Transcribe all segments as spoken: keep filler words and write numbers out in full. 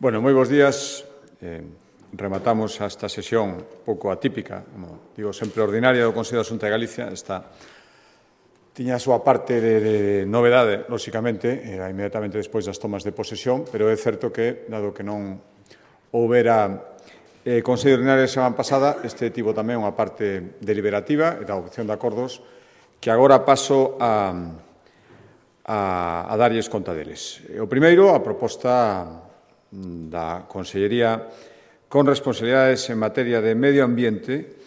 Bueno, moi bons días. Eh, rematamos esta sesión pouco atípica, como digo, sempre ordinaria do Consello da Xunta de Galicia. Esta tiña a súa parte de, de novedade, lóxicamente, era inmediatamente despois das tomas de posesión, pero é certo que, dado que non houbera eh, Consello ordinario a semana pasada, este tivo tamén unha parte deliberativa e da adopción de acordos que agora paso a, a, a darlles conta deles. O primeiro, a proposta da Consellería con responsabilidades en materia de medio ambiente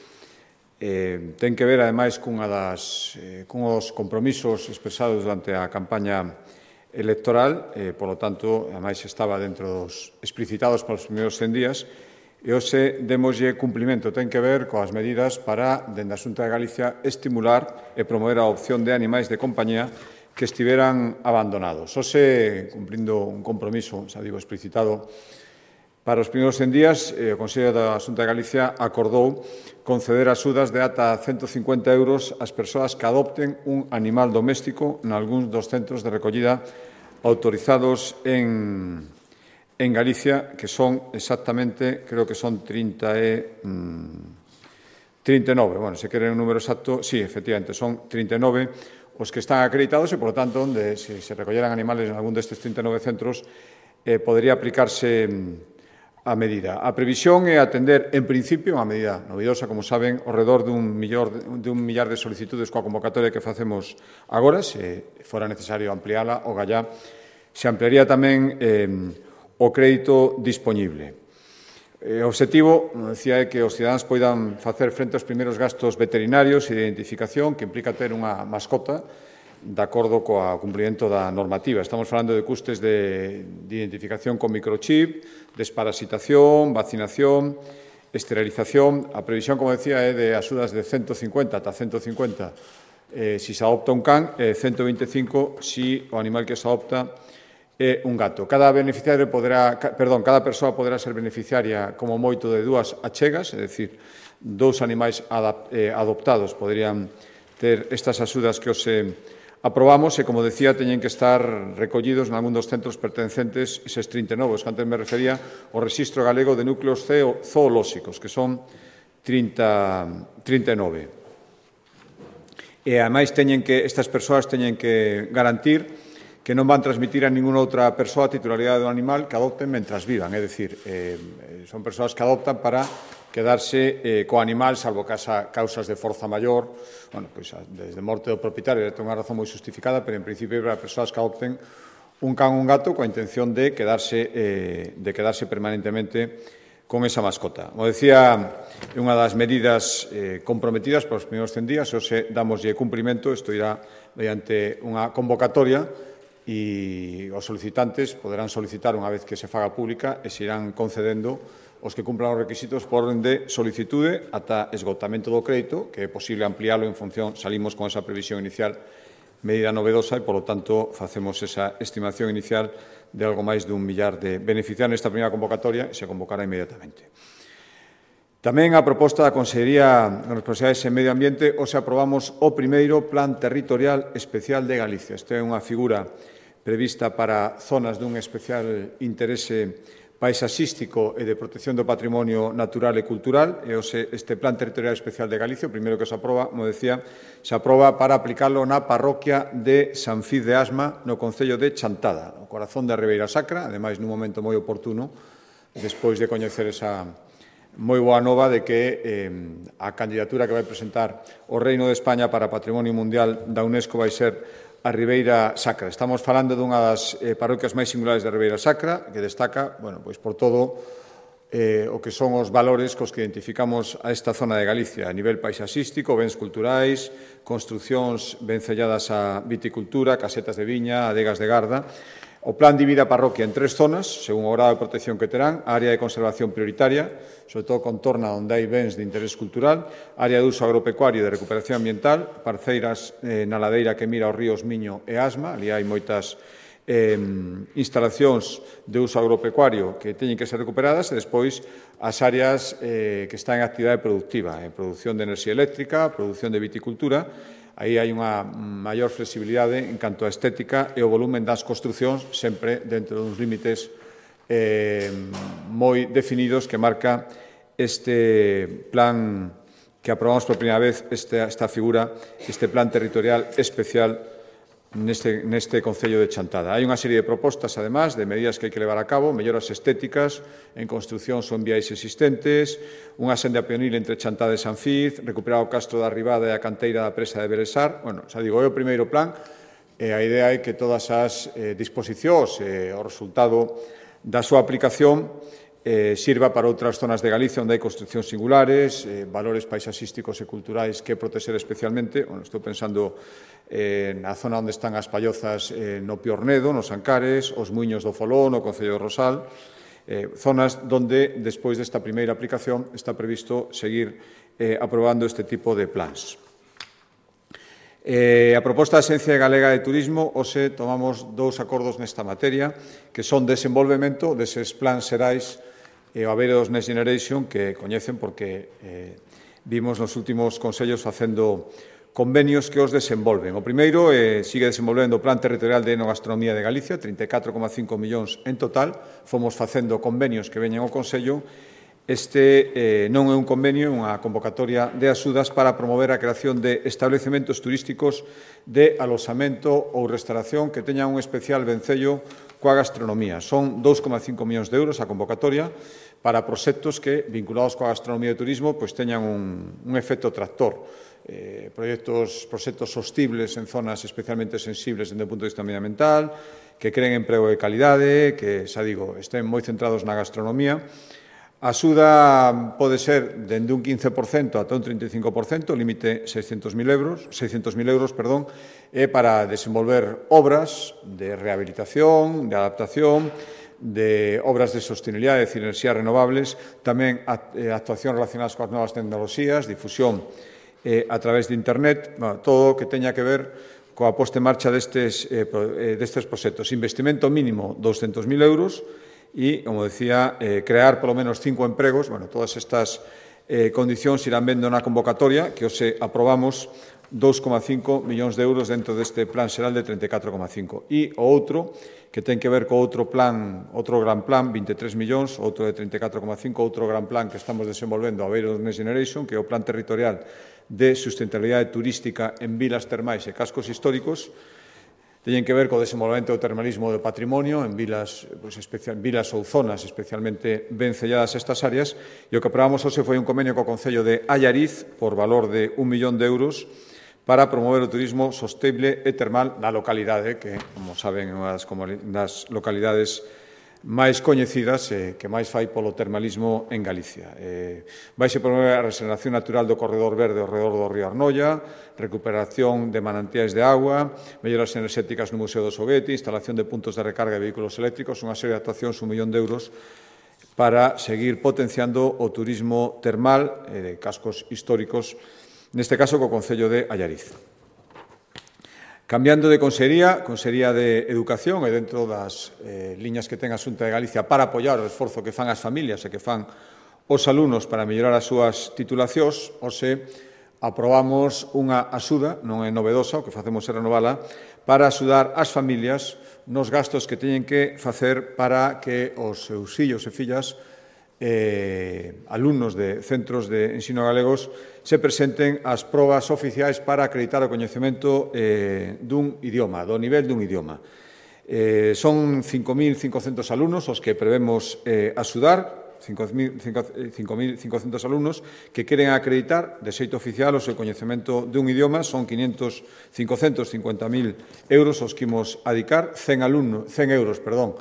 eh, ten que ver, ademais, cunha das, eh, cunhos compromisos expresados durante a campaña electoral, eh, polo tanto, ademais, estaba dentro dos explicitados para os primeiros cen días, e hoxe demoslle cumplimento. Ten que ver coas medidas para, dende a Xunta de Galicia, estimular e promover a adopción de animais de compañía que estiveran abandonados. Hoxe, cumprindo un compromiso, xa digo, explicitado para os primeiros cen días, eh, o Consello da Xunta de Galicia acordou conceder axudas de ata ciento cincuenta euros ás persoas que adopten un animal doméstico nalgúns dos centros de recollida autorizados en, en Galicia, que son exactamente, creo que son trinta e, mm, trinta e nove. Bueno, se queren un número exacto, sí, efectivamente, son trinta e nove os que están acreditados e, por lo tanto, onde se, se recolleran animales en algún destes trinta e nove centros, eh, podría aplicarse a medida. A previsión é atender, en principio, unha medida novidosa, como saben, ao redor dun, millor, de un millar de solicitudes coa convocatoria que facemos agora. Se fora necesario ampliála, o gallá se ampliaría tamén eh, o crédito dispoñible. O obxectivo, como decía, é que os cidadáns poidan facer frente aos primeiros gastos veterinarios e de identificación que implica ter unha mascota de acordo coa cumprimento da normativa. Estamos falando de custes de, de identificación con microchip, desparasitación, vacinación, esterilización. A previsión, como decía, é de axudas de ciento cincuenta ata ciento cincuenta eh, si se adopta un can, e ciento veinticinco si o animal que se adopta é un gato. Cada beneficiario poderá, perdón, cada persoa poderá ser beneficiaria como moito de dúas achegas, é dicir, dous animais adoptados poderían ter estas axudas que hoxe aprobamos e, como decía, teñen que estar recollidos nalgún dos centros pertencentes, eses trinta e nove, que antes me refería, ao Rexistro Galego de Núcleos Zoolóxicos, que son trinta e nove. E, ademais, teñen que, estas persoas teñen que garantir que non van transmitir a ninguna outra persoa a titularidade do animal que adopten mentras vivan. É dicir, eh, son persoas que adoptan para quedarse eh, co animal, salvo casa, causas de forza maior, bueno, pois, desde morte do propietario, ten unha razón moi justificada, pero en principio para persoas que adopten un can ou un gato coa intención de quedarse, eh, de quedarse permanentemente con esa mascota. Como decía, é unha das medidas eh, comprometidas para os primeiros cen días, e hoxe damoslle cumprimento. Isto irá mediante unha convocatoria e os solicitantes poderán solicitar unha vez que se faga pública e se irán concedendo os que cumplan os requisitos por orden de solicitude ata esgotamento do crédito, que é posible ampliálo en función, salimos con esa previsión inicial, medida novedosa, e, polo tanto, facemos esa estimación inicial de algo máis dun millar de beneficiarios nesta primeira convocatoria e se convocará inmediatamente. Tamén a proposta da Consellería de Responsabilidades en Medio Ambiente, hoxe aprobamos o primeiro Plan Territorial Especial de Galicia. Esta é unha figura prevista para zonas dun especial interese paisaxístico e de protección do patrimonio natural e cultural. E hoxe este Plan Territorial Especial de Galicia, o primeiro que se aproba, como decía, se aproba para aplicarlo na parroquia de San Fiz de Asma, no concello de Chantada, no corazón da Ribeira Sacra, ademais nun momento moi oportuno, despois de coñecer esa moi boa nova de que eh, a candidatura que vai presentar o Reino de España para Patrimonio Mundial da UNESCO vai ser a Ribeira Sacra. Estamos falando dunha das eh, parroquias máis singulares da Ribeira Sacra, que destaca, bueno, pois por todo eh, o que son os valores cos que identificamos a esta zona de Galicia, a nivel paisaxístico, bens culturais, construcións ben selladas á viticultura, casetas de viña, adegas de garda. O plan divide a parroquia en tres zonas, según o grado de protección que terán: área de conservación prioritaria, sobre todo contorna onde hai bens de interés cultural; área de uso agropecuario e de recuperación ambiental; parceiras eh, na ladeira que mira os ríos Miño e Asma, ali hai moitas eh, instalacións de uso agropecuario que teñen que ser recuperadas; e despois as áreas eh, que están en actividade productiva, en produción de enerxía eléctrica, produción de viticultura. Aí hai unha maior flexibilidade en canto á estética e o volumen das construcións, sempre dentro duns límites eh, moi definidos que marca este plan que aprobamos por primeira vez, esta, esta figura, este plan territorial especial neste, neste Concello de Chantada. Hai unha serie de propostas, además, de medidas que hai que levar a cabo, melloras estéticas en construcións ou en viais existentes, unha senda peonil entre Chantada e Sanfiz, recuperar o Castro da Ribada e a canteira da presa de Belesar. Bueno, xa digo, é o primeiro plan, e a idea é que todas as eh, disposicións e eh, o resultado da súa aplicación eh, sirva para outras zonas de Galicia onde hai construcións singulares, eh, valores paisaxísticos e culturais que proteger especialmente. Bueno, estou pensando eh, na zona onde están as pallozas eh, no Piornedo, nos Ancares, os Muiños do Folón, no Concello de Rosal, eh, zonas onde, despois desta primeira aplicación, está previsto seguir eh, aprobando este tipo de plans. Eh, a proposta da Axencia Galega de Turismo, hoxe tomamos dous acordos nesta materia, que son desenvolvemento deses plans xerais e o haber dos Next Generation, que coñecen porque eh, vimos nos últimos consellos facendo convenios que os desenvolven. O primeiro eh, sigue desenvolvendo o Plan Territorial de Enogastronomía de Galicia, trinta e catro coma cinco millóns en total. Fomos facendo convenios que veñen ao Consello. Este eh, non é un convenio, é unha convocatoria de axudas para promover a creación de establecementos turísticos de aloxamento ou restauración que teñan un especial vencello coa gastronomía. Son dous coma cinco millóns de euros a convocatoria para proxectos que, vinculados coa gastronomía e turismo, pois teñan un, un efecto tractor. Eh, proxectos, proxectos sostibles en zonas especialmente sensibles desde o punto de vista medioambiental, que creen emprego de calidade, que, xa digo, estén moi centrados na gastronomía. A axuda pode ser dende un quince por cento ata un trinta e cinco por cento, límite seiscentos mil euros, seiscentos mil euros, perdón, é para desenvolver obras de rehabilitación, de adaptación, de obras de sostenibilidade, é dicir, enerxías renovables, tamén actuacións relacionadas coas novas tecnoloxías, difusión eh, a través de Internet, bueno, todo o que teña que ver coa posta en marcha destes, eh, destes proxectos. Investimento mínimo douscentos mil euros, e, como decía, eh, crear polo menos cinco empregos. Bueno, todas estas eh, condicións irán vendo na convocatoria, que hoxe aprobamos dous coma cinco millóns de euros dentro deste plan xeral de trinta e catro coma cinco. E o outro, que ten que ver co outro plan, outro gran plan, vinte e tres millóns, outro de trinta e catro coma cinco, outro gran plan que estamos desenvolvendo a beiro do Next Generation, que é o Plan Territorial de Sustentabilidade Turística en Vilas Termais e Cascos Históricos. Teñen que ver co desenvolvemento do termalismo do patrimonio en vilas, pues, especial, vilas ou zonas especialmente ben selladas estas áreas, e o que aprobamos hoxe foi un convenio co Concello de Allariz por valor de un millón de euros para promover o turismo sostible e termal na localidade, que, como saben, é unha das localidades máis coñecidas eh, que máis fai polo termalismo en Galicia. Eh, Vaise promover a regeneración natural do corredor verde ao redor do río Arnoia, recuperación de manantiais de agua, melloras enerxéticas no Museo do Soguete, instalación de puntos de recarga de vehículos eléctricos, unha serie de actuacións, un millón de euros, para seguir potenciando o turismo termal e de cascos históricos, neste caso co Concello de Allariz. Cambiando de consellería, Consellería de Educación, e dentro das eh, liñas que ten a Xunta de Galicia para apoiar o esforzo que fan as familias e que fan os alumnos para mellorar as súas titulacións, hoxe aprobamos unha axuda, non é novedosa, o que facemos é renovala, para axudar as familias nos gastos que teñen que facer para que os seus fillos e fillas eh, alumnos de centros de ensino galegos se presenten ás probas oficiais para acreditar o coñecemento eh, dun idioma, do nivel dun idioma. Eh, son cinco mil cincocentos alumnos os que prevemos eh, axudar, cinco mil cincocentos alumnos que queren acreditar de xeito oficial o seu coñecemento dun idioma. Son quinientos, cincocentos cincuenta mil euros os que imos adicar, cen, alumno, cen euros, perdón,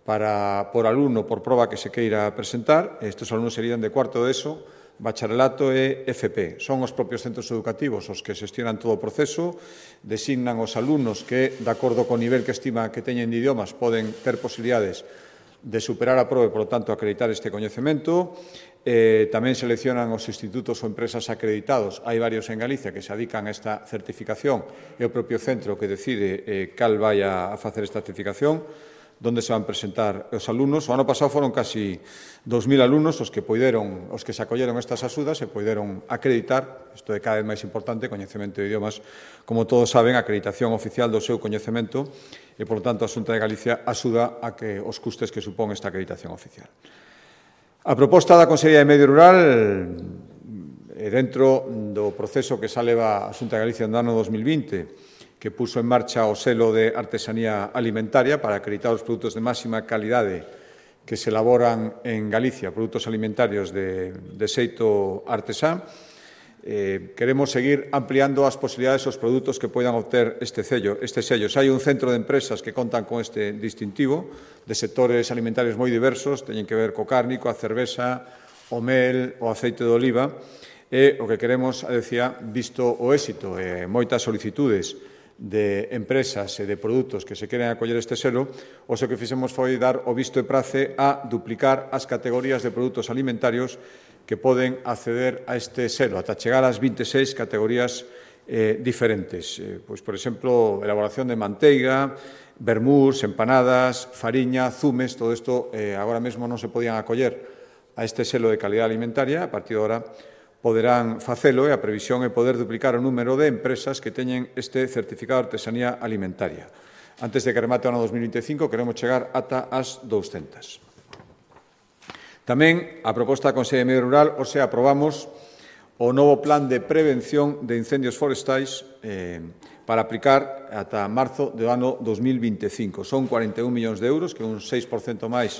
para, por alumno por proba que se queira presentar. Estes alumnos serían de cuarto de ESO, bacharelato e F P. Son os propios centros educativos os que xestionan todo o proceso, designan os alumnos que, de acordo co nivel que estima que teñen de idiomas, poden ter posibilidades de superar a proba e, por lo tanto, acreditar este coñecemento. Eh, tamén seleccionan os institutos ou empresas acreditados. Hai varios en Galicia que se adican a esta certificación e o propio centro que decide eh, cal vai a, a facer esta certificación. onde se van presentar os alumnos. O ano pasado foron casi dos mil alumnos os que poideron, os que se acolleron estas axudas e poideron acreditar, isto é cada vez máis importante, coñecemento de idiomas, como todos saben, acreditación oficial do seu coñecemento e, por tanto, a Xunta de Galicia axuda a que os custes que supón esta acreditación oficial. A proposta da Consellería de Medio Rural, e dentro do proceso que xa leva a Xunta de Galicia no ano dos mil vinte, que puso en marcha o selo de artesanía alimentaria para acreditar os produtos de máxima calidade que se elaboran en Galicia, produtos alimentarios de, de xeito artesán. Eh, queremos seguir ampliando as posibilidades dos produtos que poidan obter este sello. Este sello. Hai un centro de empresas que contan con este distintivo de sectores alimentarios moi diversos, teñen que ver co cárnico, a cerveza, o mel, o aceite de oliva, e o que queremos, decía, visto o éxito e moitas solicitudes de empresas e de produtos que se queren acoller este selo, o que fixemos foi dar o visto e prace a duplicar as categorías de produtos alimentarios que poden acceder a este selo, ata chegar ás vinte e seis categorías eh, diferentes. Eh, pois, por exemplo, elaboración de manteiga, vermús, empanadas, fariña, zumes, todo isto eh, agora mesmo non se podían acoller a este selo de calidad alimentaria, a partir de agora poderán facelo e a previsión é poder duplicar o número de empresas que teñen este certificado de artesanía alimentaria. Antes de que remate o ano dos mil vinte e cinco, queremos chegar ata as douscentas. Tamén, a proposta da Consellería de Medio Rural, o sea, aprobamos o novo plan de prevención de incendios forestais eh, para aplicar ata marzo do ano dos mil vinte e cinco. Son cuarenta e un millóns de euros, que é un seis por cento máis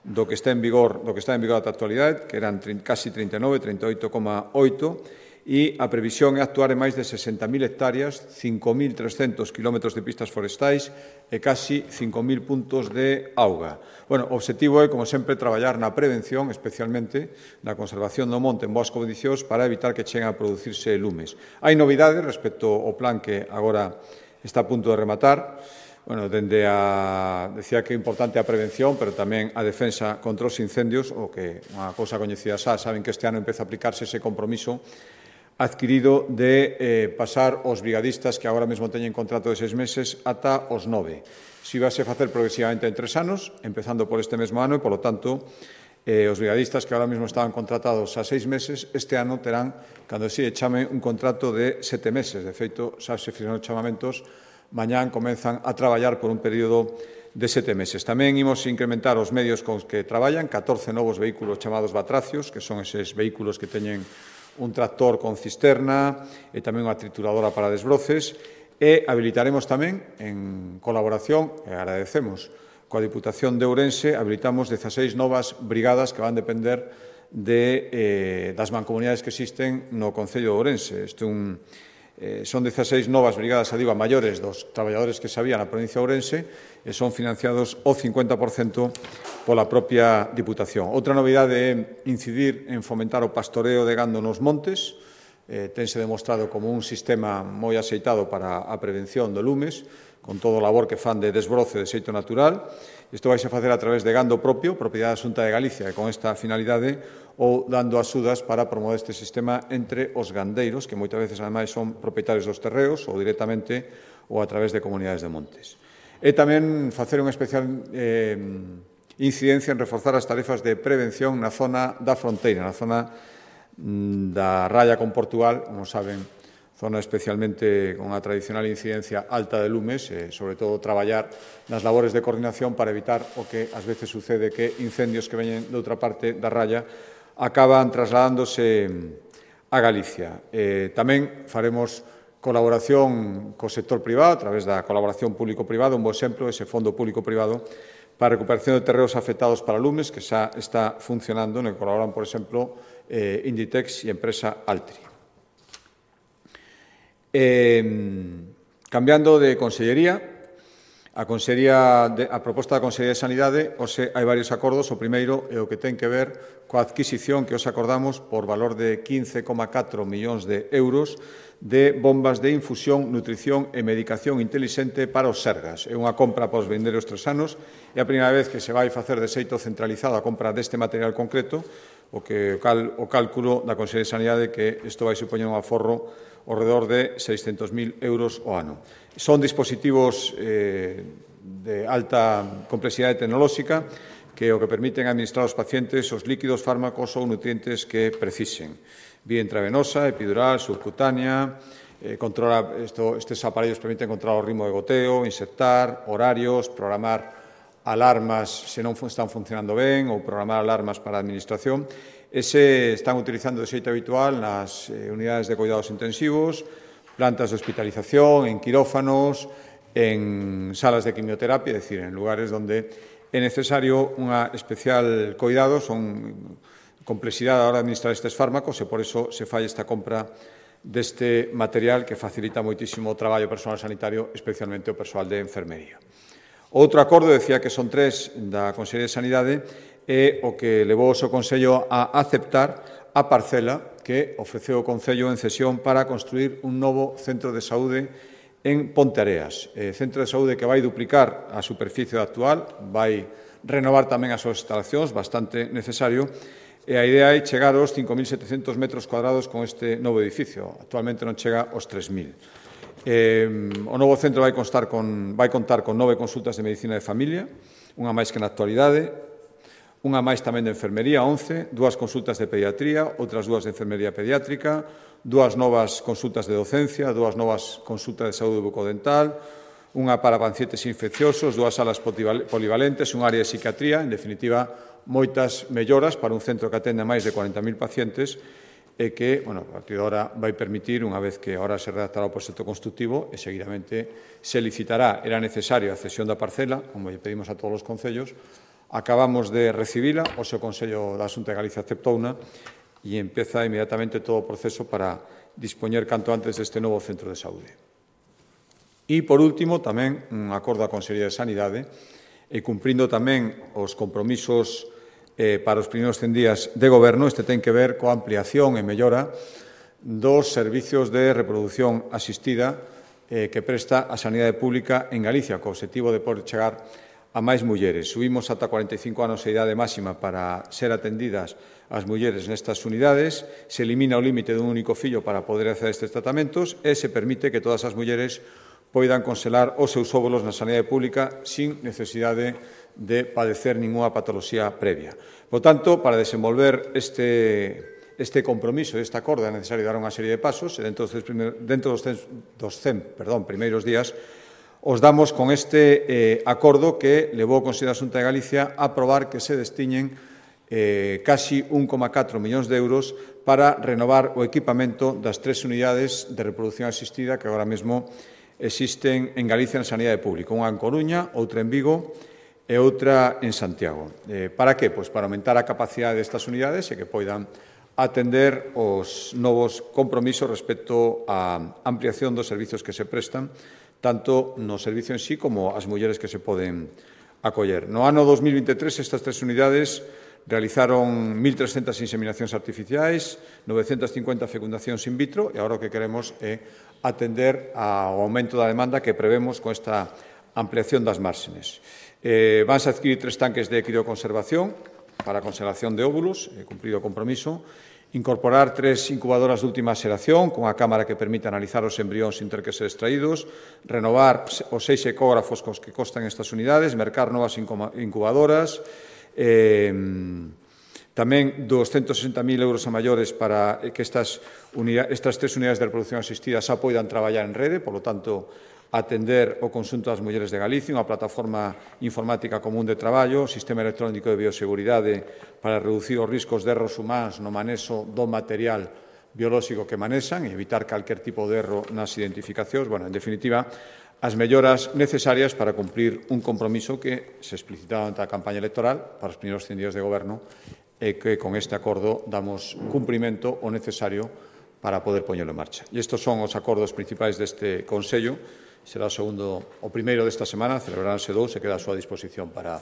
do que está en vigor, do que está en vigor ata a actualidade, que eran casi trinta e nove, trinta e oito coma oito, e a previsión é actuar en máis de sesenta mil hectáreas, cinco mil trescentos kilómetros de pistas forestais e casi cinco mil puntos de auga. Bueno, o objetivo é, como sempre, traballar na prevención, especialmente na conservación do monte en boas condicións para evitar que cheguen a producirse lumes. Hai novidades respecto ao plan que agora está a punto de rematar. Bueno, dende a, decía que é importante a prevención, pero tamén a defensa contra os incendios, o que unha cousa coñecida xa, saben que este ano empeza a aplicarse ese compromiso adquirido de eh, pasar os brigadistas que agora mesmo teñen contrato de seis meses ata os nove. Si vai a facer progresivamente en tres anos, empezando por este mesmo ano, e, polo tanto, eh, os brigadistas que agora mesmo estaban contratados a seis meses, este ano terán, cando se chame, un contrato de sete meses. De feito, xa se fixeron os chamamentos, mañán comenzan a traballar por un período de sete meses. Tamén imos incrementar os medios con os que traballan, catorce novos vehículos chamados batracios, que son eses vehículos que teñen un tractor con cisterna e tamén unha trituradora para desbroces, e habilitaremos tamén, en colaboración, e agradecemos, coa Diputación de Ourense, habilitamos dezaseis novas brigadas que van depender de, eh, das mancomunidades que existen no Concello de Ourense. Este un, eh, son dezaseis novas brigadas, a digo, a maiores dos traballadores que se había na provincia de Ourense, e son financiados o cincuenta por cento pola propia Diputación. Outra novidade é incidir en fomentar o pastoreo de gando nos montes. Eh, tense demostrado como un sistema moi axeitado para a prevención do lumes, con todo o labor que fan de desbroce de xeito natural. Isto vai a facer a través de gando propio, propiedade da Xunta de Galicia, e con esta finalidade, ou dando axudas para promover este sistema entre os gandeiros, que moitas veces, ademais, son propietarios dos terreos, ou directamente, ou a través de comunidades de montes. E tamén facer unha especial eh, incidencia en reforzar as tarefas de prevención na zona da fronteira, na zona mm, da raya con Portugal, como saben, zona especialmente con a tradicional incidencia alta de lumes, e, sobre todo, traballar nas labores de coordinación para evitar o que ás veces sucede, que incendios que veñen de outra parte da raya acaban trasladándose a Galicia. Eh, tamén faremos colaboración co sector privado, a través da colaboración público-privada, un bo exemplo, ese fondo público-privado para a recuperación de terreos afectados para lumes, que xa está funcionando, no que colaboran, por exemplo, eh, Inditex e a empresa Altri. Eh, cambiando de consellería, a, consellería de, a proposta da Consellería de Sanidade, hoxe hai varios acordos. O primeiro é o que ten que ver coa adquisición que os acordamos por valor de quince coma catro millóns de euros de bombas de infusión, nutrición e medicación intelixente para os Sergas. É unha compra para os vindeiros tres anos, é a primeira vez que se vai facer de xeito centralizado a compra deste material concreto, o que o, cal, o cálculo da Consellería de Sanidade que isto vai supoñer un aforro ao redor de seiscentos mil euros ao ano. Son dispositivos eh, de alta complexidade tecnolóxica que o que permiten administrar aos pacientes os líquidos, fármacos ou nutrientes que precisen. Vía intravenosa, epidural, subcutánea, eh, controla, esto, estes aparellos permiten controlar o ritmo de goteo, insertar, horarios, programar alarmas se non están funcionando ben ou programar alarmas para a administración. Ese están utilizando de xeito habitual nas eh, unidades de cuidados intensivos, plantas de hospitalización, en quirófanos, en salas de quimioterapia, é dicir, en lugares onde é necesario unha especial cuidado, son complexidade a hora de administrar estes fármacos e por iso se fai esta compra deste material que facilita moitísimo o traballo persoal sanitario, especialmente o persoal de enfermería. Outro acordo, decía que son tres da Consellería de Sanidade, é o que levou o seu Consello a aceptar a parcela que ofreceu o Concello en cesión para construir un novo centro de saúde en Ponteareas, eh, centro de saúde que vai duplicar a superficie actual, vai renovar tamén as súas instalacións, bastante necesario, e a idea é chegar aos cinco mil setecentos metros cuadrados con este novo edificio. Actualmente non chega aos tres mil. Eh, o novo centro vai, constar con, vai contar con nove consultas de medicina de familia, unha máis que na actualidade, unha máis tamén de enfermería, once, dúas consultas de pediatría, outras dúas de enfermería pediátrica, dúas novas consultas de docencia, dúas novas consultas de saúde bucodental, unha para pacientes infecciosos, dúas salas polivalentes, un área de psiquiatría, en definitiva, moitas melloras para un centro que atende a máis de cuarenta mil pacientes e que, bueno, a partir de ahora vai permitir, unha vez que ahora se redactará o proxecto constructivo e seguidamente se licitará, era necesario a cesión da parcela, como lle pedimos a todos os concellos, acabamos de recibila, o seu Consello da Xunta de Galicia aceptouna e empeza inmediatamente todo o proceso para dispoñer canto antes deste novo centro de saúde. E, por último, tamén un acordo da Consellería de Sanidade e cumprindo tamén os compromisos eh, para os primeiros cen días de goberno, este ten que ver coa ampliación e mellora dos servizos de reproducción asistida eh, que presta a Sanidade Pública en Galicia, co objetivo de poder chegar a máis mulleres. Subimos ata cuarenta e cinco anos a idade máxima para ser atendidas as mulleres nestas unidades, se elimina o límite dun único fillo para poder acceder a estes tratamentos e se permite que todas as mulleres poidan congelar os seus óvulos na sanidade pública sin necesidade de padecer ninguna patoloxía previa. Por tanto, para desenvolver este, este compromiso, este acordo, é necesario dar unha serie de pasos e dentro dos, primer, dentro dos, dos cen perdón, primeiros días os damos con este eh, acordo que levou o Consello da Xunta de Galicia a aprobar que se destiñen eh, casi un coma catro millóns de euros para renovar o equipamento das tres unidades de reproducción asistida que agora mesmo existen en Galicia en sanidade pública, unha en Coruña, outra en Vigo e outra en Santiago. Eh, para que? Pois para aumentar a capacidade destas unidades e que poidan atender os novos compromisos respecto á ampliación dos servizos que se prestan, tanto no servicio en sí como as mulleres que se poden acoller. No ano dos mil veintitrés, estas tres unidades realizaron mil trescentas inseminacións artificiais, novecentas cincuenta fecundacións in vitro e agora o que queremos é atender ao aumento da demanda que prevemos con esta ampliación das márgenes. Eh, vanse a adquirir tres tanques de crioconservación para a conservación de óvulos, eh, cumprido o compromiso, incorporar tres incubadoras de última xeración con a cámara que permite analizar os embrións sin ter que ser extraídos, renovar os seis ecógrafos cos que costan estas unidades, mercar novas incubadoras, eh, tamén doscientos sesenta mil euros a maiores para que estas, estas tres unidades de reproducción asistida xa poidan traballar en rede, por lo tanto, atender o conxunto das mulleres de Galicia, unha plataforma informática común de traballo, sistema electrónico de bioseguridade para reducir os riscos de erros humanos no manexo do material biolóxico que manexan e evitar calquer tipo de erro nas identificacións. Bueno, en definitiva, as melloras necesarias para cumprir un compromiso que se explicitaba ante a campaña electoral para os primeiros cen días de goberno e que con este acordo damos cumprimento o necesario para poder poñelo en marcha. E estes son os acordos principais deste Consello. Será o segundo, o primeiro desta semana, celebraránse dous e queda a súa disposición para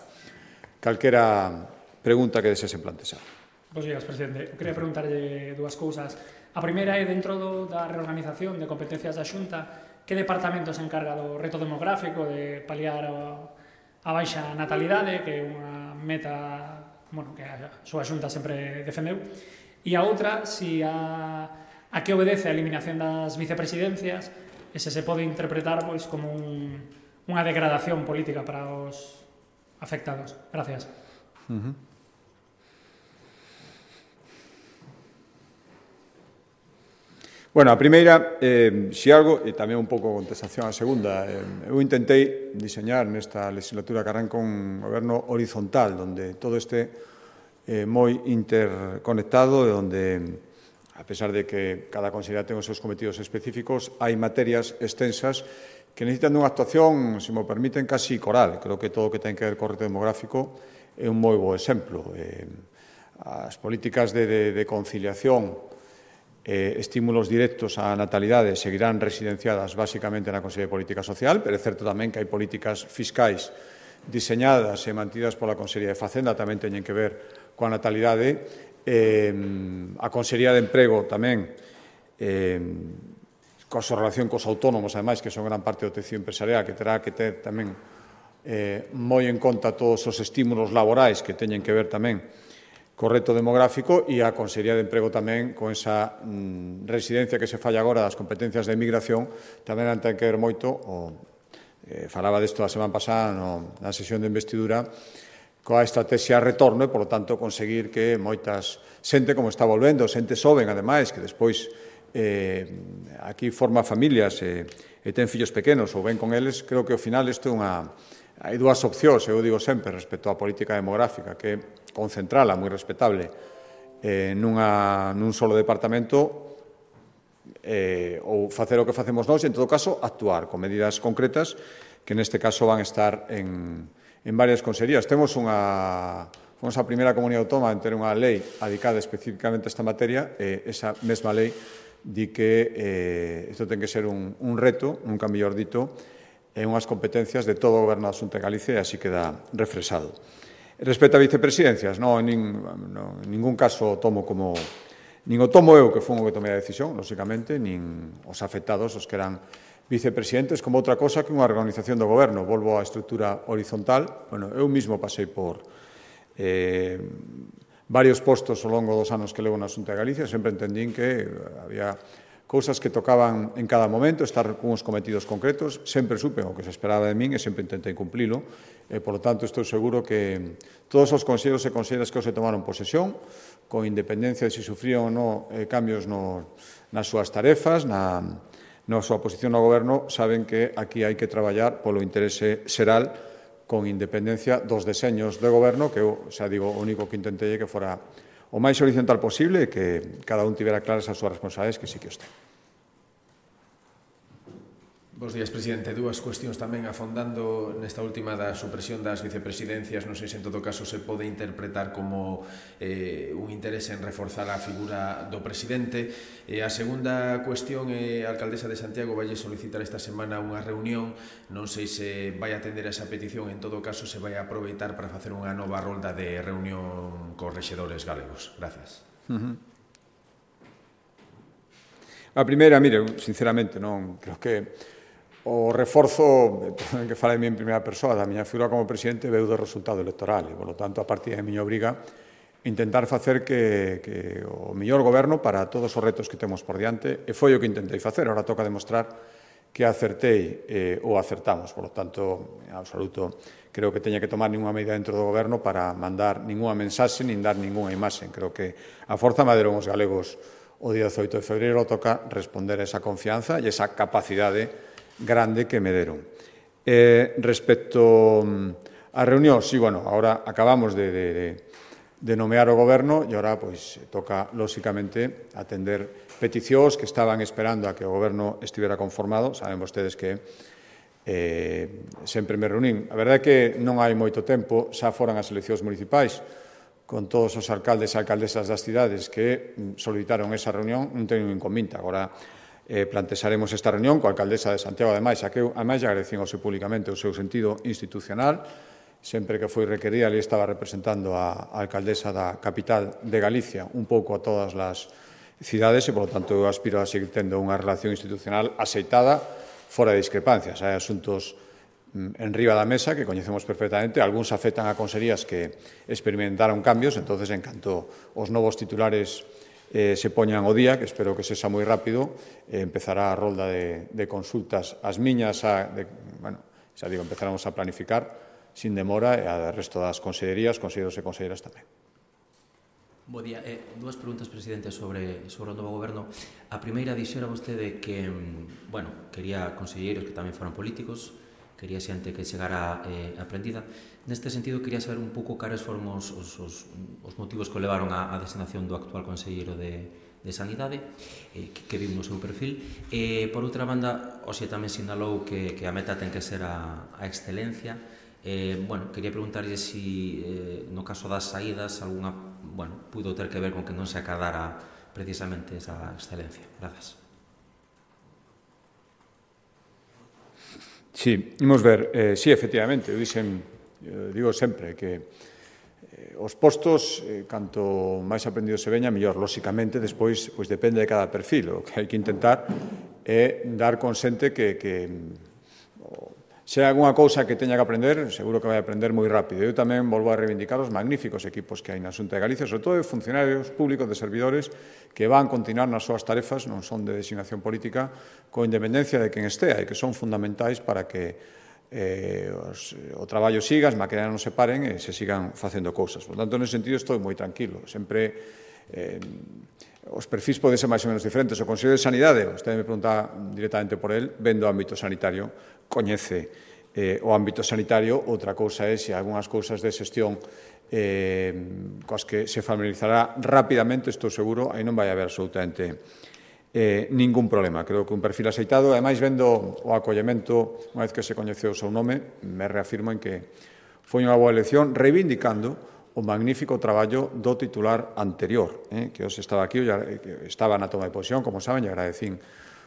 calquera pregunta que desesen plantexar. Bos días, presidente. Eu queria preguntarlle dúas cousas. A primeira é, dentro do, da reorganización de competencias da Xunta, que departamento se encarga do reto demográfico de paliar a, a baixa natalidade, que é unha meta, bueno, que a súa Xunta sempre defendeu, e a outra, si a, a que obedece a eliminación das vicepresidencias, e se se pode interpretar pois, como un, unha degradación política para os afectados. Gracias. Uh-huh. Bueno, a primeira, eh, si algo, e tamén un pouco contestación á segunda, eh, eu intentei diseñar nesta legislatura que arranca un goberno horizontal, onde todo este eh, moi interconectado, e onde, a pesar de que cada consellería ten os seus cometidos específicos, hai materias extensas que necesitan unha actuación, se me permiten, casi coral. Creo que todo o que ten que ver co reto demográfico é un moi bo exemplo. Eh, as políticas de, de, de conciliación, Eh, estímulos directos á natalidade seguirán residenciadas basicamente na Consellería de Política Social, pero é certo tamén que hai políticas fiscais diseñadas e mantidas pola Consellería de Facenda, tamén teñen que ver coa natalidade. Eh, a Consellería de Emprego tamén, eh, coa súa relación cos autónomos, ademais, que son gran parte do tecido empresarial, que terá que ter tamén eh, moi en conta todos os estímulos laborais que teñen que ver tamén co reto demográfico, e a Consellería de Emprego tamén con esa mm, residencia que se falla agora das competencias de emigración tamén ten que ver moito, o, eh, falaba desto a semana pasada no, na sesión de investidura, coa estrategia retorno e, por lo tanto, conseguir que moitas xente como está volvendo, xente xoven, ademais, que despois eh, aquí forma familias e, e ten fillos pequenos ou ven con eles, creo que ao final isto é unha... Hai dúas opcións, eu digo sempre, respecto á política demográfica, que é concentrala, moi respetable, eh, nunha, nun solo departamento, eh, ou facer o que facemos nós, e, en todo caso, actuar con medidas concretas que, neste caso, van a estar en, en varias consellerías. Temos unha... Fomos a primeira comunidade autónoma en ter unha lei dedicada especificamente a esta materia, e esa mesma lei di que eh, isto ten que ser un, un reto, nunca mellor dito, en unhas competencias de todo o Goberno da Xunta de Galicia, e así queda refresado. Respecto a vicepresidencias, non, en, nin, no, en ningún caso tomo como... Nin o tomo eu, que fun o que tomei a decisión, lóxicamente, nin os afectados, os que eran vicepresidentes, como outra cosa que unha organización do Goberno. Volvo á estrutura horizontal. Bueno, eu mismo pasei por eh, varios postos ao longo dos anos que levo na Xunta de Galicia, sempre entendín que había cousas que tocaban en cada momento, estar con uns cometidos concretos, sempre supe o que se esperaba de min e sempre intentei cumplilo, e, por lo tanto, estou seguro que todos os consellos e conselleras que se tomaron posesión, con independencia de se si sufrían ou non eh, cambios no, nas súas tarefas, na, na súa posición no goberno, saben que aquí hai que traballar polo interese xeral, con independencia dos deseños de goberno, que eu, xa digo, o único que intentei é que fora o máis horizontal posible e que cada un tivera claras as súas responsabilidades, que sí que os ten. Bos días, presidente. Dúas cuestións tamén afondando nesta última da supresión das vicepresidencias. Non sei se en todo caso se pode interpretar como eh, un interese en reforzar a figura do presidente. E a segunda cuestión é a alcaldesa de Santiago vai solicitar esta semana unha reunión. Non sei se vai atender a esa petición, en todo caso se vai aproveitar para facer unha nova rolda de reunión cos rexedores galegos. Gracias. Uh-huh. A primeira, mire, sinceramente, non creo que o reforzo, que fala de mí en primeira persoa, da miña figura como presidente, veu do resultado electoral, e, por lo tanto, a partir da miña obriga, intentar facer que, que o mellor goberno para todos os retos que temos por diante, e foi o que intentei facer. Ahora toca demostrar que acertei eh, ou acertamos. Por lo tanto, en absoluto, creo que teña que tomar ninguna medida dentro do goberno para mandar ninguna mensaxe, nin dar ninguna imaxe. Creo que a forza maderon os galegos o día dezoito de febreiro, toca responder a esa confianza e esa capacidade grande que me deron. Eh, respecto á reunión, sí, bueno, ahora acabamos de, de, de, de nomear o goberno e ahora, pois, toca, lóxicamente, atender peticións que estaban esperando a que o goberno estivera conformado. Saben vostedes que eh, sempre me reunín. A verdade é que non hai moito tempo, xa foran as eleccións municipais, con todos os alcaldes e alcaldesas das cidades que solicitaron esa reunión, non teño inconvinta. Agora, eh, plantexaremos esta reunión coa alcaldesa de Santiago, ademais, a que eu, ademais, agradecín ao seu públicamente o seu sentido institucional. Sempre que foi requerida, ali estaba representando a, a alcaldesa da capital de Galicia, un pouco a todas as cidades, e, por lo tanto, eu aspiro a seguir tendo unha relación institucional aceitada, fora de discrepancias. Hai asuntos en riba da mesa que coñecemos perfectamente, algúns afectan a consellerías que experimentaron cambios, entonces, en canto os novos titulares eh, se poñan o día, que espero que sexa moi rápido, eh, empezará a rolda de, de consultas. As miñas, a, de, bueno, Xa digo, empezaremos a planificar sin demora e a resto das consellerías, conselleiros e conselleiras tamén. Bo día. Eh, dúas preguntas, presidente, sobre, sobre o novo goberno. A primeira, dixera vostede que, bueno, quería conselleiros que tamén foran políticos, quería xente que chegara eh, aprendida. Neste sentido, quería saber un pouco cares foron os, os, os, os motivos que o levaron á, á designación do actual conselleiro de, de Sanidade, eh, que, que vimos no seu perfil. E, por outra banda, Oxe tamén sinalou que, que a meta ten que ser a, a excelencia. Eh, bueno, quería preguntarlle si, eh, no caso das saídas, alguna, bueno, pudo ter que ver con que non se acadara precisamente esa excelencia. Grazas. Sí, imos ver, eh, sí, efectivamente, eu dixen, eu digo sempre que eh, os postos, eh, canto máis aprendido se veña, mellor, lóxicamente, despois, pois depende de cada perfil, o que hai que intentar é dar con xente que, que se hai algunha cousa que teña que aprender, seguro que vai aprender moi rápido. Eu tamén volvo a reivindicar os magníficos equipos que hai na Xunta de Galicia, sobre todo de funcionarios públicos, de servidores, que van continuar nas súas tarefas, non son de designación política, con independencia de quen estea, e que son fundamentais para que eh, os, o traballo siga, as máquinas non se paren e se sigan facendo cousas. Por tanto, nese sentido, estou moi tranquilo. Sempre eh, os perfis poden ser máis ou menos diferentes. O Consello de Sanidade, vostede me pregunta directamente por el, vendo o ámbito sanitario, coñece eh, o ámbito sanitario. Outra cousa é se algunhas cousas de xestión eh, coas que se familiarizará rapidamente, estou seguro, aí non vai haber absolutamente eh, ningún problema. Creo que un perfil aceitado, ademais vendo o acollemento, unha vez que se coñeceu o seu nome, me reafirmo en que foi unha boa elección, reivindicando o magnífico traballo do titular anterior, eh, que hoxe estaba aquí, que estaba na toma de posición, como saben, e agradecín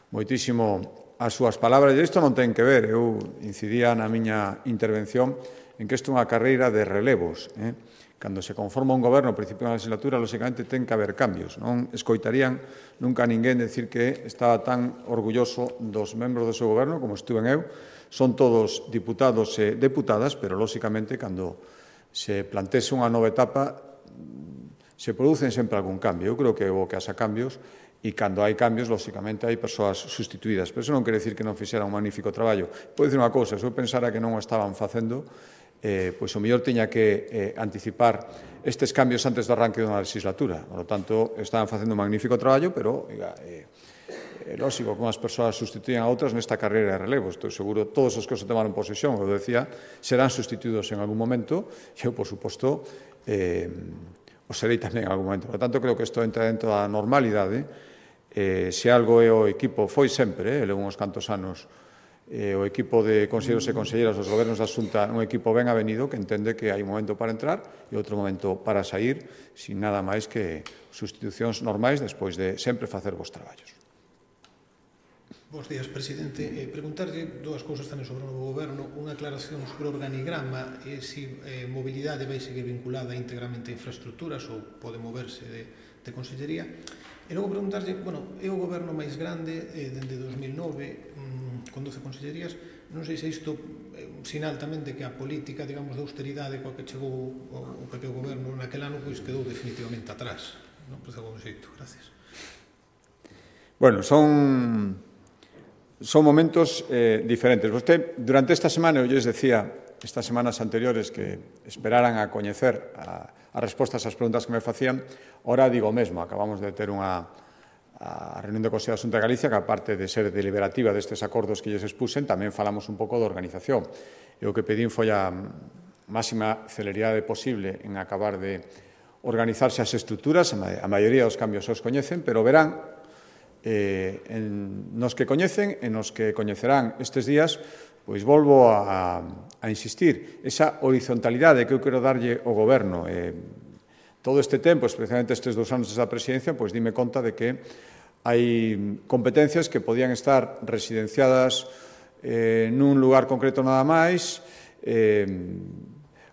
moitísimo as súas palabras. E isto non ten que ver, eu incidía na miña intervención en que isto é unha carreira de relevos. Eh? Cando se conforma un goberno ao principio da legislatura, lóxicamente ten que haber cambios. Non escoitarían nunca a ninguén decir que estaba tan orgulloso dos membros do seu goberno como estuve eu. Son todos diputados e deputadas, pero lóxicamente cando se plantese unha nova etapa se producen sempre algún cambio. Eu creo que é bo que haxa cambios, e cando hai cambios, lóxicamente, hai persoas sustituídas. Pero iso non quere decir que non fixera un magnífico traballo. Podo dicir unha cousa, se eu pensara que non o estaban facendo, eh, pois o mellor tiña que eh, anticipar estes cambios antes do arranque dunha legislatura. Por lo tanto, estaban facendo un magnífico traballo, pero, oiga, eh, é lógico que unhas persoas sustituían a outras nesta carreira de relevo. Estou seguro, todos os que se tomaron posesión, como decía, serán sustituídos en algún momento, e eu, por suposto, eh, o serei tamén en algún momento. Por tanto, creo que isto entra dentro da normalidade. Eh, se algo é o equipo, foi sempre, eh, levo uns cantos anos, eh, o equipo de conselleiros e conselleiras dos gobernos da Xunta, un equipo ben avenido que entende que hai un momento para entrar e outro momento para sair, sin nada máis que sustitucións normais despois de sempre facer vos traballos. Bos días, presidente. Eh, preguntarlle dúas cousas tamén sobre o novo goberno. Unha aclaración sobre o organigrama e se eh, mobilidade vai seguir vinculada íntegramente a infraestructuras ou pode moverse de, de consellería. E logo preguntarlle, bueno, é o goberno máis grande eh, dende dos mil nove, mmm, con doce consellerías. Non sei se isto é un sinal tamén de que a política, digamos, de austeridade coa que chegou o, o P P o goberno naquel ano, pois quedou definitivamente atrás. Non? Pois de algún xeito. Gracias. Bueno, son... Son momentos eh, diferentes. Vostede, durante esta semana, eu lles decía, estas semanas anteriores, que esperaran a coñecer a, a respostas ás preguntas que me facían. Ora digo o mesmo, acabamos de ter unha a reunión do Consello da Xunta de Galicia, que aparte de ser deliberativa destes acordos que lles expusen, tamén falamos un pouco de organización. E o que pedín foi a máxima celeridade posible en acabar de organizarse as estruturas. A maioría dos cambios os coñecen, pero verán Eh, en, nos que coñecen e nos que coñecerán estes días, pois volvo a, a insistir, esa horizontalidade que eu quero darlle ao goberno. Eh, todo este tempo, especialmente estes dous anos desa presidencia, pois dime conta de que hai competencias que podían estar residenciadas eh, nun lugar concreto nada máis, eh,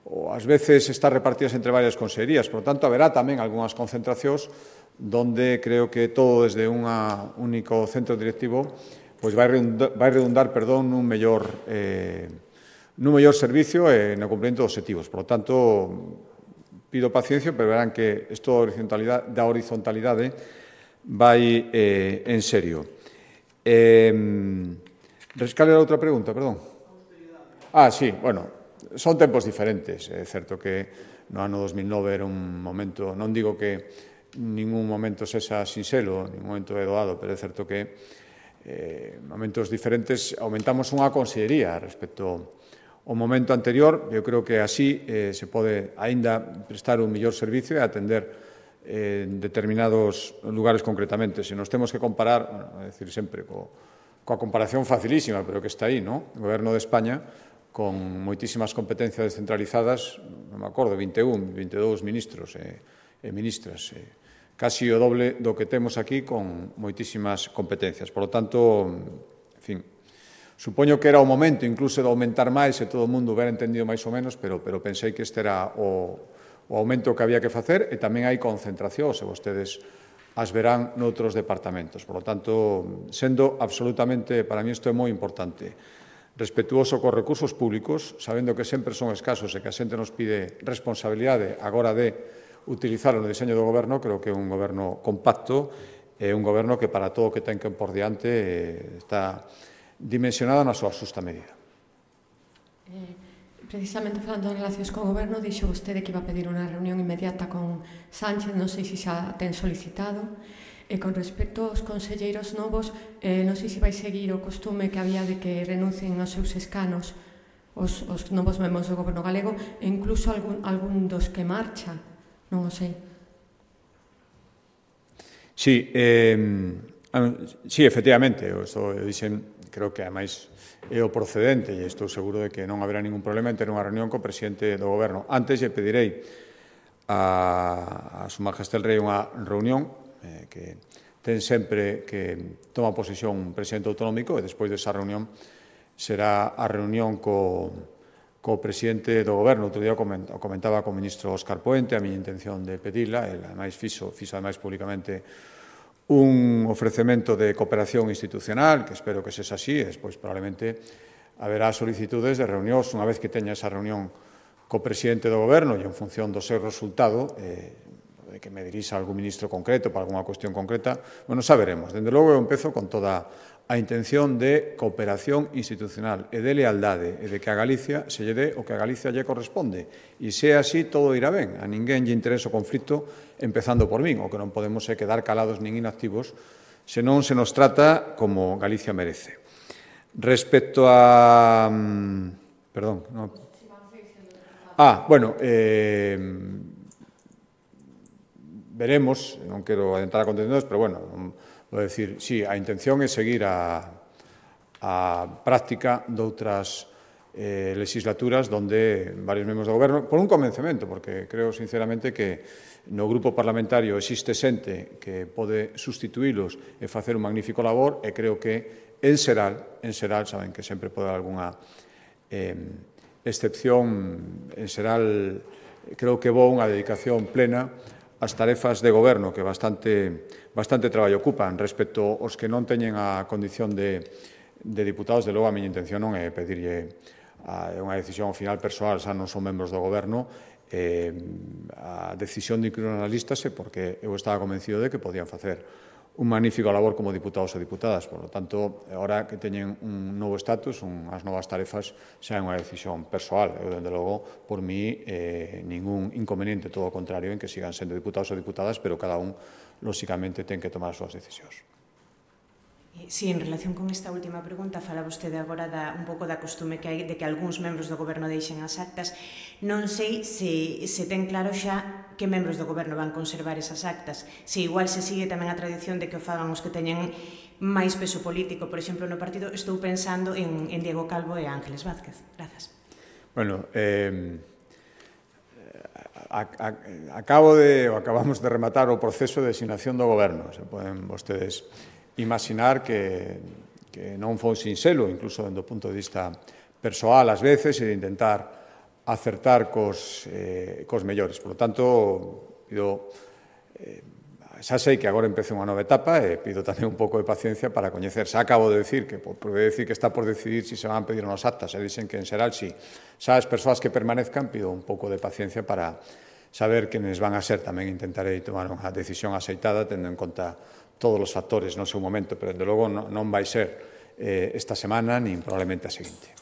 ou ás veces estar repartidas entre varias consellerías. Por lo tanto, haberá tamén algunhas concentracións donde creo que todo desde un único centro directivo pois vai redundar, vai redundar perdón, nun mellor, eh, nun mellor servicio e no cumprimento dos objetivos. Por lo tanto, pido paciencia, pero verán que isto da horizontalidade, da horizontalidade vai eh, en serio. Eh, Rescale a outra pregunta, perdón. Ah, sí, bueno, son tempos diferentes. É certo que no ano dos mil nove era un momento, non digo que ningún momento sexa sinxelo, ningún momento é doado, pero é certo que eh, momentos diferentes aumentamos unha consellería respecto ao momento anterior. Eu creo que así eh, se pode aínda prestar un mellor servicio e atender en determinados lugares concretamente. Se nos temos que comparar, bueno, é dicir sempre, co, coa comparación facilísima, pero que está aí, non? O Goberno de España, con moitísimas competencias descentralizadas, non me acordo, vinte e un, vinte e dous ministros e, e ministras, e casi o doble do que temos aquí con moitísimas competencias. Por lo tanto, en fin, supoño que era o momento incluso de aumentar máis e todo o mundo hubiera entendido máis ou menos, pero, pero pensei que este era o o aumento que había que facer, e tamén hai concentracións, e vostedes as verán noutros departamentos. Por lo tanto, sendo absolutamente, para mí isto é moi importante, respetuoso cos recursos públicos, sabendo que sempre son escasos e que a xente nos pide responsabilidade agora de utilizalo no diseño do goberno, creo que é un goberno compacto, é un goberno que para todo o que ten que por diante está dimensionado na súa xusta medida. Eh... Precisamente falando de relacións co goberno, dixo vostede que iba a pedir unha reunión inmediata con Sánchez, non sei se xa ten solicitado. E con respecto aos conselleiros novos, eh, non sei se vai seguir o costume que había de que renuncien aos seus escanos os, os novos membros do goberno galego, e incluso algún, algún dos que marchan, non o sei. Sí, eh, sí, efectivamente, eu, eu dixen, creo que ademais é o procedente, e estou seguro de que non haberá ningún problema en ter unha reunión co presidente do goberno. Antes lle pedirei a, a Su Majestad el Rei unha reunión eh, que ten sempre que toma posesión un presidente autonómico, e despois desa reunión será a reunión co, co presidente do goberno. Outro día comentaba co ministro Óscar Puente a miña intención de pedirla, e ademais fixo, fixo ademais públicamente un ofrecemento de cooperación institucional, que espero que sexa así, e despois probablemente haberá solicitudes de reunións unha vez que teña esa reunión co presidente do goberno, e en función do seu resultado, eh, de que me dirixa algún ministro concreto para algunha cuestión concreta, bueno, saberemos. Dende logo eu empezo con toda a intención de cooperación institucional e de lealdade, e de que a Galicia se lle dé o que a Galicia lle corresponde. E se é así, todo irá ben. A ninguén lle interesa o conflito, empezando por min. O que non podemos é quedar calados nin inactivos, senón se nos trata como Galicia merece. Respecto a... Perdón. No. Ah, bueno, eh, veremos, non quero adentrar a contenedores, pero bueno, vou decir, sí, a intención é seguir a, a práctica doutras eh, legislaturas donde varios membros do goberno, por un convencemento, porque creo sinceramente que no grupo parlamentario existe xente que pode sustituílos e facer un magnífico labor, e creo que en xeral, en xeral, saben que sempre pode haber algunha eh, excepción, en xeral, creo que vou unha dedicación plena as tarefas de goberno que bastante, bastante traballo ocupan. Respecto aos que non teñen a condición de, de diputados, de logo a miña intención non é pedirlle a, unha decisión final persoal, xa non son membros do goberno, eh, a decisión de incluir nas listas é porque eu estaba convencido de que podían facer un magnífico labor como diputados e diputadas. Por lo tanto, agora que teñen un novo estatus, unhas novas tarefas, xa é unha decisión persoal. Eu, dende logo, por mí, eh, ningún inconveniente, todo o contrario, en que sigan sendo diputados e diputadas, pero cada un, lóxicamente, ten que tomar as súas decisións. Sí, en relación con esta última pregunta, fala vostede agora da, un pouco da costume que hai de que algúns membros do goberno deixen as actas. Non sei se, se ten claro xa que membros do goberno van conservar esas actas. Se igual se sigue tamén a tradición de que o fagan os que teñen máis peso político. Por exemplo, no partido estou pensando en, en Diego Calvo e Ángeles Vázquez. Grazas. Bueno, eh, a, a, acabo de, ou acabamos de rematar o proceso de designación do goberno. Se poden vostedes imaginar que, que non foi sinxelo, incluso do punto de vista persoal, ás veces, e de intentar acertar cos, eh, cos mellores. Por lo tanto, pido, eh, xa sei que agora empece unha nova etapa e pido tamén un pouco de paciencia para coñecer. Xa acabo de decir que, por decir que está por decidir se si se van a pedir unas actas, e dicen que en xeral si. Xa as persoas que permanezcan pido un pouco de paciencia para saber quenes van a ser. Tamén intentarei tomar unha decisión aceitada tendo en conta todos os factores no seu momento, pero, desde logo, non vai ser eh, esta semana nin probablemente a seguinte.